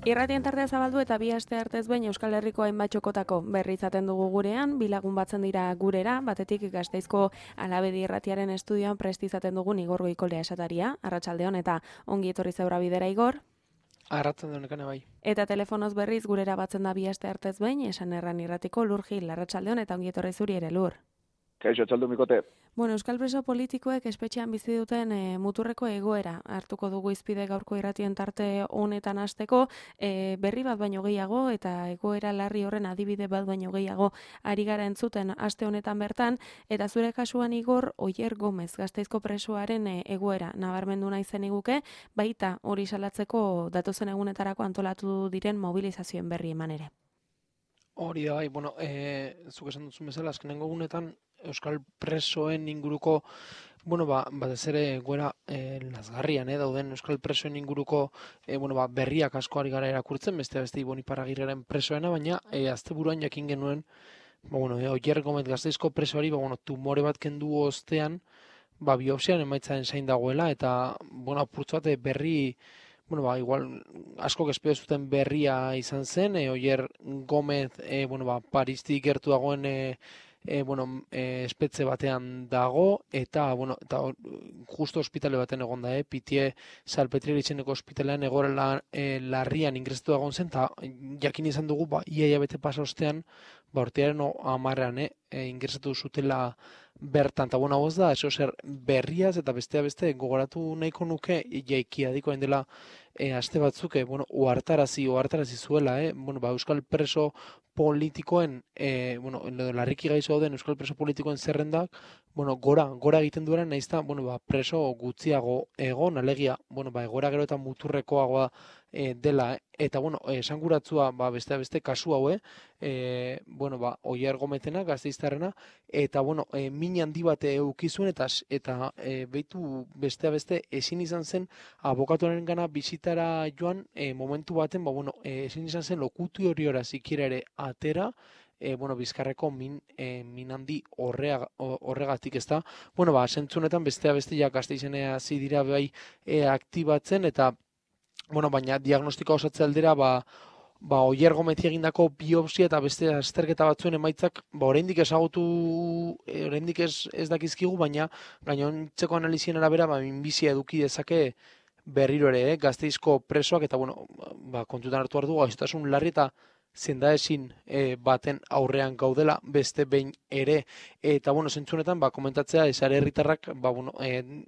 Irratien tartea zabaldu eta bi aste artez behin Euskal Herriko hainbat txokotako berri izaten dugu gurean, bi lagun batzen dira gurera, batetik Gasteizko Alabedi Irratiaren estudioan prest izaten dugun Igor Goikolea esataria, arratsaldeon eta ongi etorri zeura bidera Igor. Arratsaldeon nekane bai. Eta telefonoz berriz gurera batzen da bi aste artez behin, esan erran irratiko Lur Gil, arratsaldeon eta ongi etorri zuri ere Lur. Kaixo, txaldu mikote. Bueno, Euskal preso politikoek espetxean bizi duten muturreko egoera hartuko dugu izpide gaurko irratien tarte honetan hasteko, berri bat baino gehiago eta egoera larri horren adibide bat baino gehiago ari gara entzuten aste honetan bertan, eta zure kasuan Igor Oier Gomez Gasteizko presoaren egoera nabarmendu nahi zeniguke, baita hori salatzeko datozen egunetarako antolatu diren mobilizazioen berri eman ere. Hori da bai, bueno, zuk esan duzun bezala, azkenengo egunetan Euskal presoen inguruko, bueno, batez ere egoera lazgarrian, dauden Euskal presoen inguruko, berriak asko ari gara erakurtzen, beste Ibon Iparragirreren presoena, baina asteburuan jakin genuen, Oier Gomez Gasteizko presoari, tumore bat kendu ostean, biopsian emaitzaren zain dagoela, eta, apurtzu bat berri, igual asko espero zuten berria izan zen, Oier Gomez, Paristik gertu dagoen espetxe batean dago, eta justo ospitale baten egon da, Pitie Salpetriere itxeneko ospitalean egoera larrian ingresatu dagoen zen, eta jakin izan dugu, ia bete pasa ostean, urtearen 10ean ingresatu zutela bertan, eta hau ez da, eso zer berriaz, eta beste gogoratu nahiko nuke, jaikia dikoen dela aste batzuk, ohartarazi zuela, Euskal preso politikoen, larriki gaixo dauden Euskal preso politikoen zerrendak, gora egiten duela, nahiz da, preso gutxiago egon, alegia, egoera gero eta muturrekoagoa dela, eta, esanguratzua, beste kasu hau, Oier Gomezena, Gasteiztarrena, eta, min handi bat eukizuen, eta behitu beste ezin izan zen abokatuaren gana bizitara joan, momentu baten, ezin izan zen lokutu hori zikira ere atera, Bizkarreko min handi horregatik ez da. Zentzunetan bestea ja Gasteizenea hasi dira bai aktibatzen, eta, baina diagnostikoa osatze aldera, Oier Gomezi egindako biopsia eta beste azterketa batzuen emaitzak, oraindik ezagutu, oraindik ez dakizkigu, baina gainontzeko analizien arabera, minbizia eduki dezake berriro ere, Gasteizko presoak, eta, kontutan hartu behar du, gaixotasun larri eta zendaezin baten aurrean gaudela beste behin ere, eta, zentzunetan, komentatzea, esare herritarrak,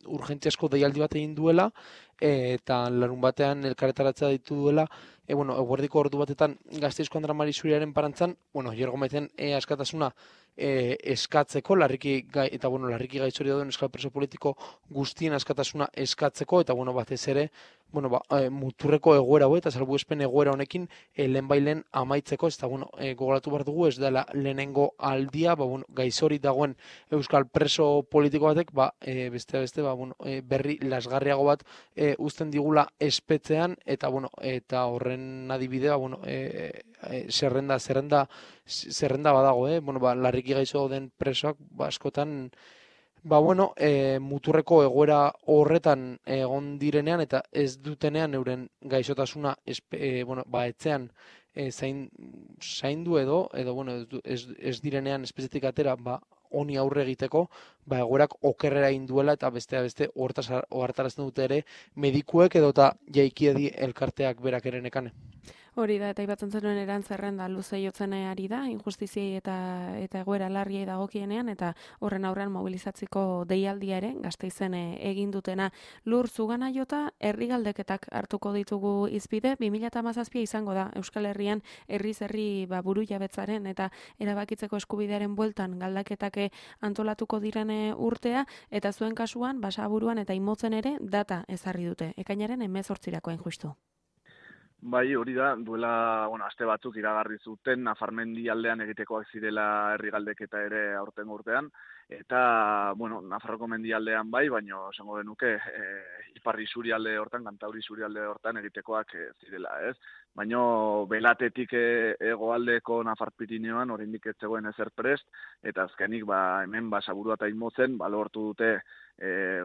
urgentziasko deialdi bat egin duela, eta larun batean elkarretaratzea ditu duela, eguerdiko ordu batetan Gasteizko Andra Mari Zuriaren parantzan, Oier Gomezen askatasuna eskatzeko, larriki gaixori dauden Euskal preso politiko guztien askatasuna eskatzeko, eta, batez ere, muturreko egoera eta salbuespen egoera honekin lehenbailen amaitzeko, ez da, gogoratu behar dugu, ez dela lehenengo aldia, gaixori dagoen Euskal preso politiko batek, beste, berri lasgarriago bat uzten digula espetzean, eta horren adibidea, zerrenda badago, larriki gaixo den presoak, askotan, muturreko egoera horretan egon direnean, eta ez dutenean euren gaixotasuna etzean zaindu edo ez direnean espezitik atera, honi aurre egiteko, egoerak okerrera induela, eta beste ohartarazten dute ere medikuek edo eta jaikiedi elkarteak berak ere nekane. Hori da, eta ibatzen zenuen erantzerrenda luze jotzen ari da, injustiziei eta egoera larriei dagokienean, eta horren aurrean mobilizatziko deialdia ere, Gasteizen egin dutena. Lur, zugana jota, herrigaldeketak hartuko ditugu izpide, 2017 izango da, Euskal Herrian herri buru jabetzaren eta erabakitzeko eskubidearen bueltan galdaketak antolatuko diren urtea, eta zuen kasuan, Basaburuan eta Imotzen ere data ezarri dute, ekainaren 18 hain justu. Bai, hori da, duela, aste batzuk iragarri zuten, Nafarmendi aldean egitekoak zirela herri galdeketa ere aurtengo urtean, eta, bueno, Nafarroko mendialdean bai, baina esango genuke ipar isurialde hortan, Kantauri isurialde hortan egitekoak zirela, ez? Baina belatetik hegoaldeko Nafar Pirinioan oraindik ez zegoen ezer prest, eta azkenik hemen Basaburua eta Imotzen lortu dute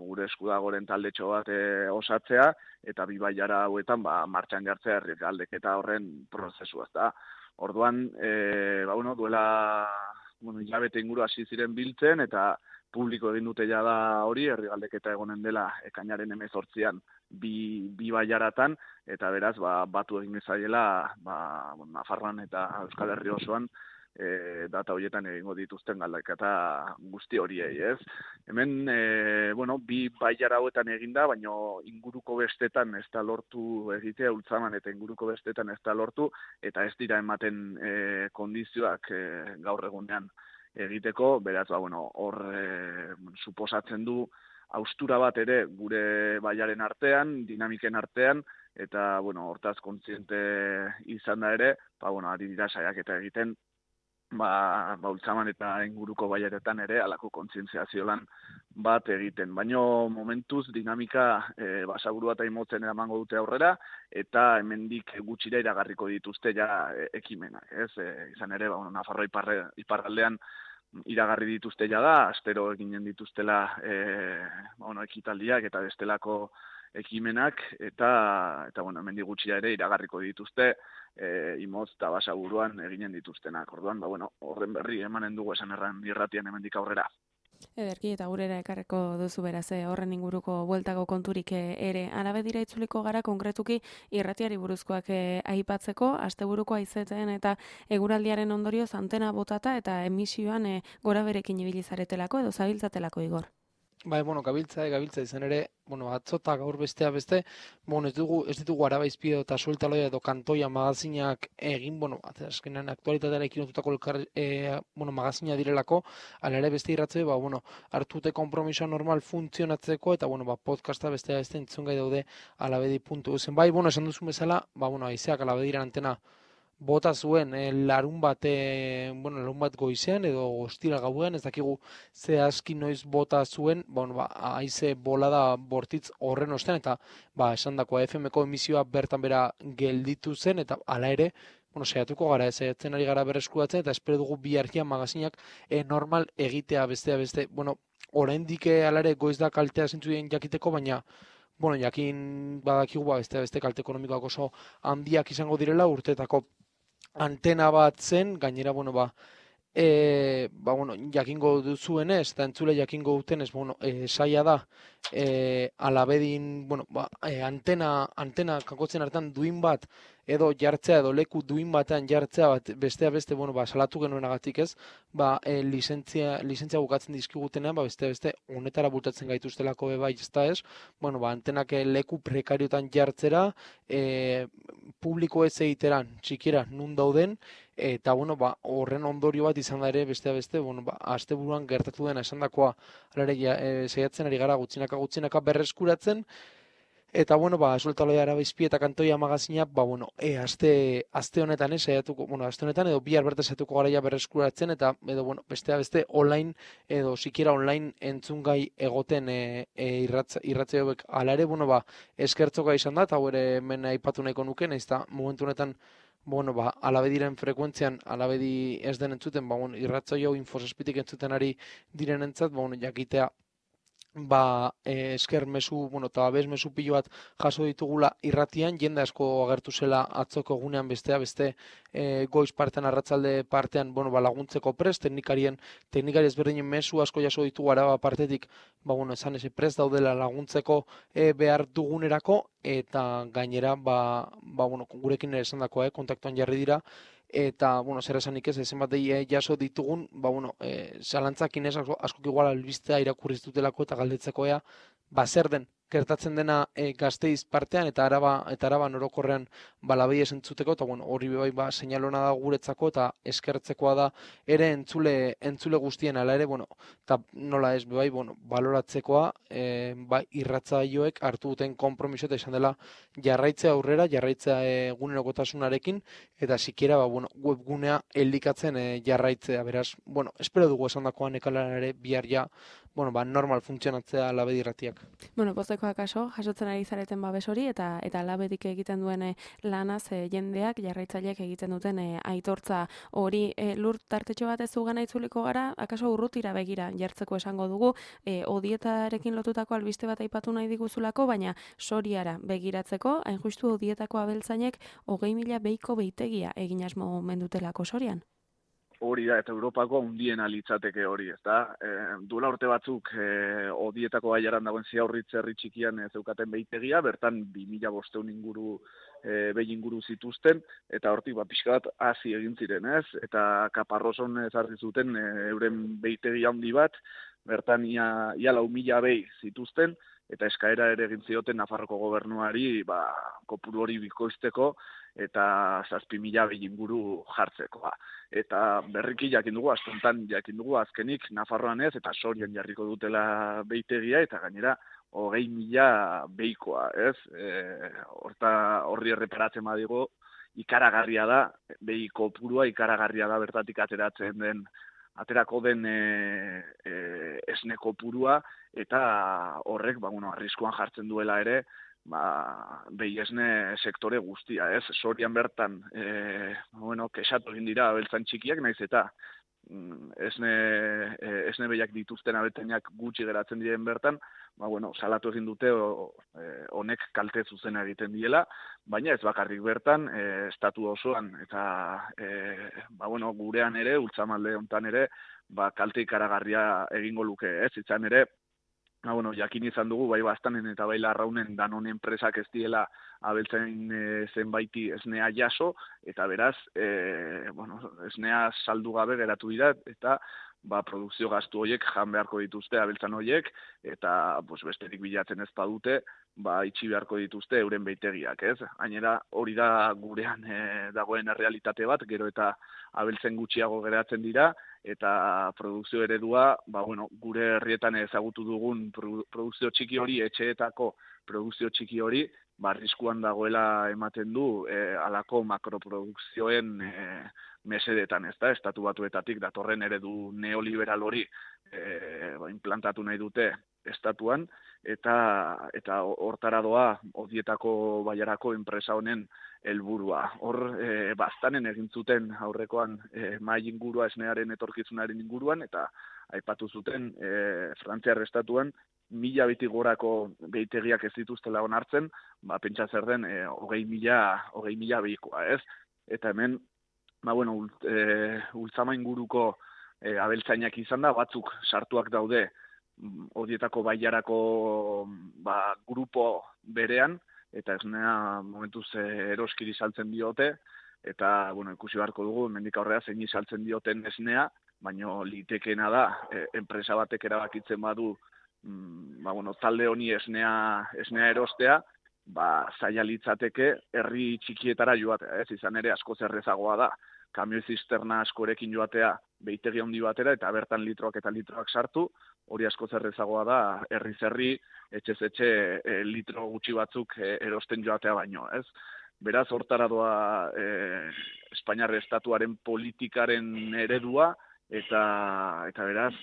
gure eskudagoren taldetxo bat osatzea, eta bi bailara hauetan martxan jartzea herrialdeketa horren prozesua, da. Orduan, duela hilabete inguru hasi ziren biltzen, eta publiko egin dute jada hori, herrigaldeketa egonen dela ekainaren 18an bi bailaratan, eta beraz, batu egin ezaiela, Nafarroan eta Euskal Herri osoan, data horietan egingo dituzten galdeketa guzti horiei, ez? Hemen, bi bailara hauetan eginda, baina inguruko bestetan ez da lortu egitea, Ultzaman eta inguruko bestetan ez da lortu, eta ez dira ematen kondizioak gaur egunean egiteko, beraz, hor suposatzen du haustura bat ere gure baiaren artean, dinamiken artean, eta, hortaz kontziente izan da ere, ari dira saiaketa egiten, Ultzaman eta inguruko baiaretan ere alako kontzientziazio lan bat egiten. Baina momentuz dinamika Basaburua eta Imotzen eramango dute aurrera, eta hemendik gutxira iragarriko dituzte ja ekimenak, ez? Izan ere, Nafarroa iparraldean iragarri dituzte jada, astero eginen dituztela ekitaldiak eta bestelako ekimenak, eta hemendik gutxira ere iragarriko dituzte Imotz eta Basaburuan eginen dituztenak. Orduan, horren berri emanen dugu esan erran irratian hemendik aurrera. Ederki, eta gurera ekarreko duzu beraz, horren inguruko bueltako konturik ere. Arabe dira itzuliko gara konkretuki irratiari buruzkoak aipatzeko, asteburuko haizeteen eta eguraldiaren ondorioz antena botata eta emisioan gora berekin ibili zaretelako edo zabiltzatelako, Igor. Bai, gabiltza izan ere, atzota gaur beste, ez ditugu Araba Izpide eta Sueltaloia edo Kantoia magazinak egin, azkenean aktualitateara ekinotutako magazina direlako, ala ere beste irratze, hartute konpromisoa normal funtzionatzeko, eta, podcasta beste entzungai daude alabedi.uzen. Bai, esan duzun bezala, haizeak alabediran antena bota zuen larun bat goizean edo ostira gauean, ez dakigu zehazki noiz bota zuen, haize bolada bortitz horren ostean, eta esandako FM-ko emisioa bertan bera gelditu zen, eta hala ere, saiatuko gara, saiatzen ari gara berreskuratzen, eta espero dugu biharkia magazinak normal egitea beste, oraindik hala ere goiz da kaltea zentzuen jakiteko, baina jakin badakigu beste kalte ekonomikoak oso handiak izango direla urteetako antena bat zen, gainera, jakingo duzuenez, eta entzule jakingo dutenez, saia da, alabedin, antena kakotzen hartan duin bat, edo jartzea, edo leku duin batean jartzea bat, beste, salatu genuenagatik ez, lizentzia bukatzen dizkigutenean, beste, honetara bultatzen gaituztelako bai ez da ez, antenak leku prekariotan jartzera, publiko ez egiteran, txikiera, nun dauden, eta, horren ondorio bat izan da ere, beste, asteburuan gertatu dena esan dakoa, saiatzen ari gara gutxinaka berreskuratzen, eta, Sueltaloia, Araba Izpide eta Kantoia magazina, aste honetan, aste honetan, edo bihar bertan saiatuko gara berreskuratzen, eta, beste, online, edo sikiera online entzungai egoten irratze hauek. Hala ere, eskertzoka izan da, eta ere hemen aipatu nahiko nuke, ez da, momentu honetan, alabediren frekuentzian, alabedi ez den entzuten, irratzaio Infosazpitik entzuten ari diren entzat, jakitea, esker mezu, eta abez mezu pilo bat jaso ditugula irratian, jende asko agertu zela atzoko egunean beste goiz partean, arratzalde partean, laguntzeko prest, teknikari ezberdinen mezu asko jaso ditugu Araba partetik, esan eze prest daudela laguntzeko behar dugunerako, eta gainera, gurekin ere esan dakoa, kontaktuan jarri dira, eta, zer esanik ez, zenbat jaso ditugun, zalantzakin ez, askok igual albistea irakurriz dutelako eta galdetzeko zer den gertatzen dena Gasteiz partean eta Araba orokorrean labei entzuteko, eta bueno, hori bai seinalona da guretzako eta eskertzekoa da ere entzule guztien ala ere, bueno, eta nola ez bai, bueno, baloratzekoa bai irratsaioek hartu duten konpromiso eta izan dela jarraitzea aurrera, jarraitzea egunerokotasunarekin eta sikiera bueno, webgunea elikatzen jarraitzea, beraz, bueno, espero dugu esandakoan ekalara ere bihar ja, bueno, normal funtzionatzea Labedi irratiak. Bueno, poztekoa kaso, jasotzen ari zareten babes hori eta Labedik egiten duen lanaz jendeak, jarraitzaileek egiten duten aitortza hori lur tartetxo bat ez zugana itzuliko gara, akaso urrutira begira jartzeko esango dugu, odietarekin lotutako albiste bat aipatu nahi diguzulako, baina Soriara begiratzeko, hain justu odietako abeltzainek 20.000 beiko beitegia egin asmo mendutelako Sorian. Hori da, eta Europako hundiena litzateke hori, ez da? Duela urte batzuk odietako baiaran dagoen Ziaurritz herri txikian zeukaten beitegia, bertan 2.500 inguru behi inguru zituzten, eta hortik pixka bat hasi egin ziren, ez? Eta Kaparroson ezarri zuten euren beitegia handi bat, bertan ia 4.000 behi zituzten, eta eskaera ere egin zioten Nafarroko gobernuari kopuru hori bikoizteko eta 7.000 behi inguru jartzekoa. Eta berriki jakin dugu, astuntan jakin dugu azkenik Nafarroan ez, eta Sorian jarriko dutela beitegia, eta gainera 20.000 behikoa, ez? Horri erreparatzen badigo, ikaragarria da, behi kopurua ikaragarria da bertatik aterako den esne kopurua, eta horrek, arriskuan jartzen duela ere, behi esne sektore guztia, ez? Sorian bertan, kexatu egin dira abeltzan txikiak, naiz eta esne behiak dituzten abeltzainak gutxi geratzen diren bertan, salatu egin dute honek kalte zuzena egiten diela, baina ez bakarrik bertan, estatu osoan, eta gurean ere, ultzamalde hontan ere, kalte ikaragarria egingo luke, ez? Izan ere, jakin izan dugu, bai Baztanen eta bai Larraunen Danone enpresak ez diela abeltzain zenbaiti esnea jaso, eta beraz, esnea saldu gabe geratu dira, eta produkzio gastu horiek jan beharko dituzte abeltzan horiek, eta besterik bilatzen ez badute, itxi beharko dituzte euren beitegiak, ez? Gainera, hori da gurean dagoen errealitate bat, gero eta abeltzen gutxiago geratzen dira, eta produkzio eredua, gure herrietan ezagutu dugun produkzio txiki hori, etxeetako produkzio txiki hori, arriskuan dagoela ematen du halako makroprodukzioen mesedetan, ez da, estatu batuetatik datorren eredu neoliberal hori implantatu nahi dute estatuan, eta hortara doa odietako baiarako enpresa honen helburua. Hor, Baztanen egin zuten aurrekoan mahai ingurua esnearen etorkizunaren inguruan, eta aipatu zuten Frantziar estatuan 1.000 behitik gorako behitegiak ez dituztela onartzen, pentsa zer den 20.000 behikoa, ez? Eta hemen, ultzama inguruko abeltzainak izan da, batzuk sartuak daude odietako baiarako grupo berean, eta esnea momentuz eroskiri saltzen diote, eta ikusi beharko dugu, hemendik aurrera zein saltzen dioten esnea, baina litekeena da, enpresa batek erabakitzen badu, talde honi esnea erostea, zaila litzateke herri txikietara joatea, ez? Izan ere askoz errezagoa da, kamioi zisterna askorekin joatea behitegi handi batera, eta bertan litroak eta litroak sartu, hori askoz errezagoa da, herriz herri, etxez etxe litro gutxi batzuk erosten joatea baino, ez? Beraz, hortara doa Espainiar estatuaren politikaren eredua, eta beraz,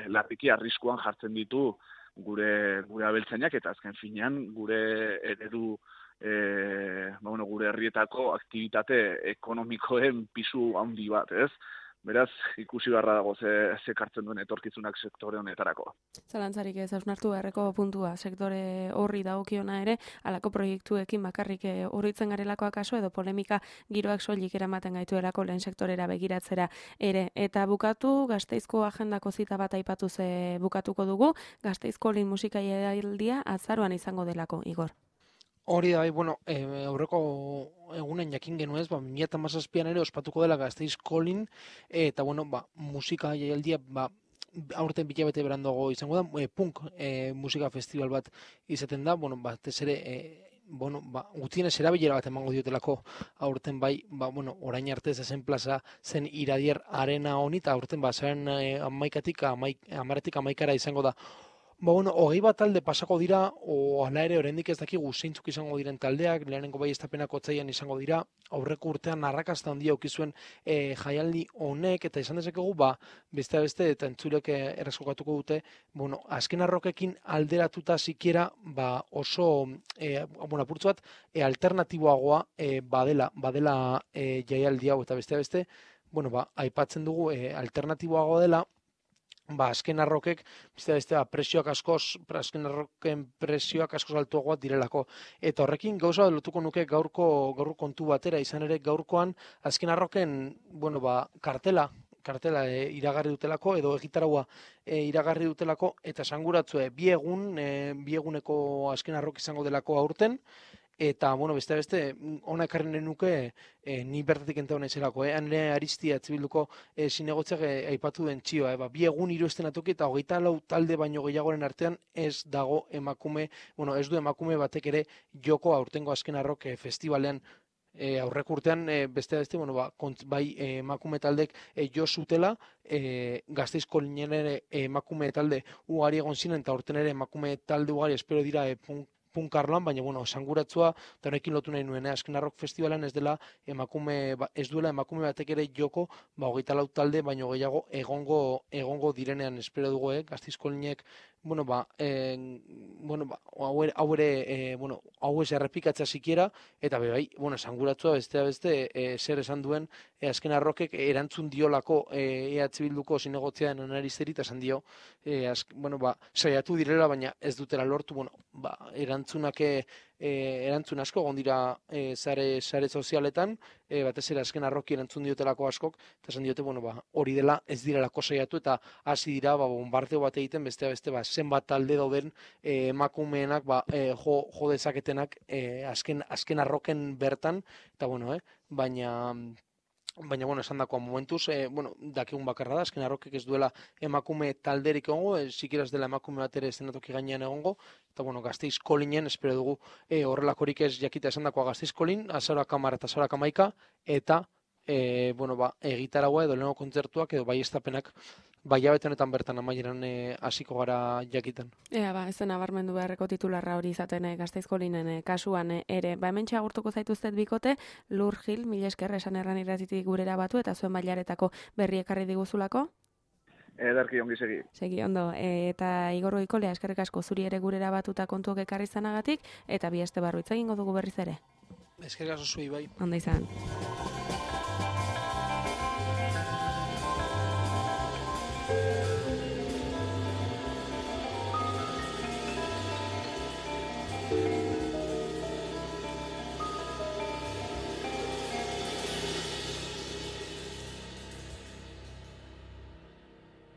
larriki arriskuan jartzen ditu gure abeltzainak, eta azken finean gure eredu, gure herrietako aktibitate ekonomikoen pisu handi bat, ez? Beraz, ikusi beharra dago zekartzen duen etorkizunak sektore honetarako. Zalantzarik ez hausnartu beharreko puntua, sektore horri dagokiona ere, halako proiektuekin bakarrik horritzen garelako akaso, edo polemika giroak soilik eramaten gaituelako lehen sektorera begiratzera ere. Eta bukatu, Gasteizko agendako zita bat aipatuz bukatuko dugu, Gasteizko lehen musikaialdia azaroan izango delako, Igor. Hori da, aurreko egunen jakin genuez, 2017an ere ospatuko dela Gasteiz Kolin, eta musika jaialdia aurten bilabete berandago izango da, punk musika festival bat izaten da, bueno, batez ere, gutienez erabilera bat emango diotelako aurten bai, bueno, orain arte ez zen plaza zen Iradier Arena honi, eta aurten zaren 10-11 izango da. Bueno, 20 talde pasako dira, hala ere oraindik ez dakigu zeintzuk izango diren taldeak, lehenengo baieztapenak otsailean izango dira, aurreko urtean arrakasta handia eduki zuen jaialdi honek, eta izan dezakegu, beste eta entzulek erreskokatuko dute, bueno, azken arrokekin alderatuta sikiera, oso, apurtzu bat, alternatiboagoa badela jaialdi hau, eta beste, bueno, aipatzen dugu alternatiboagoa dela, azken arrokek, presioak azken arroken presioak askoz altuagoak direlako. Eta horrekin gauza lotuko nuke gaurko kontu batera, izan ere gaurkoan azken arroken, kartela iragarri dutelako, edo egitaraua iragarri dutelako, eta esanguratzue bi eguneko azken arrok izango delako aurten, eta, beste, ona ekarri nahi nuke, ni bertatik ente hona izanako, hane Aristia Etzibilduko zinegotziak aipatu den txioa, 2 egun 3 estenatoki, eta 24 talde baino gehiagoren artean ez dago emakume, ez du emakume batek ere joko aurtengo azken arrok festivalean, aurreko urtean, beste, bai emakume taldek jo zutela, Gasteizko linen ere emakume talde ugari egon ziren, eta aurten ere emakume talde ugari espero dira punkarloan, baina, esanguratzua, eta honekin lotu nahi nuen, azken arrok festivalan ez duela emakume batek ere joko, 24 talde, baino gehiago egongo direnean, espero dugu, Gasteizko linek, hau ez errepikatzea sikiera, eta bai, esanguratzua beste, zer esan duen, azken arrokek erantzun diolako EH Bilduko zinegotzian analizeri, eta esan dio, saiatu direla, baina ez dutela lortu, erantzun asko egon dira sare sozialetan, batez ere azken arroki erantzun diotelako askok, eta esan diote, hori dela ez direlako saiatu, eta hasi dira bombardeo bat egiten, beste zenbat talde dauden emakumeenak jo dezaketenak azken arroken bertan, eta baina, esan dakoa momentuz, dakigun bakarra da, azken arrokek ez duela emakume talderik egongo, sikiera ez dela emakume bat ere estenatoki gainean egongo, eta Gasteizko linen, espero dugu horrelakorik ez jakita esan dakoa Gasteizko lin, azaroak 10 eta azaroak 11, eta egitaragoa edo lehenko kontzertuak edo baieztapenak hilabete honetan bertan amaieran hasiko gara jakiten. Ez zen nabarmendu beharreko titularra hori izaten Gasteizko linen kasuan ere. Hementxe agurtuko zaituztet bikote, Lur Gil, mila esker esan erran irratitik gurera batu eta zuen bailaretako berri ekarri diguzulako. Ederki ongi segi. Segi ondo, eta Igor Goikolea eskerrik asko zuri ere gurera batuta kontuak ekarri zanagatik, eta bi aste barru hitz egingo dugu berriz ere. Eskerrik asko zuei bai. Ondo izan.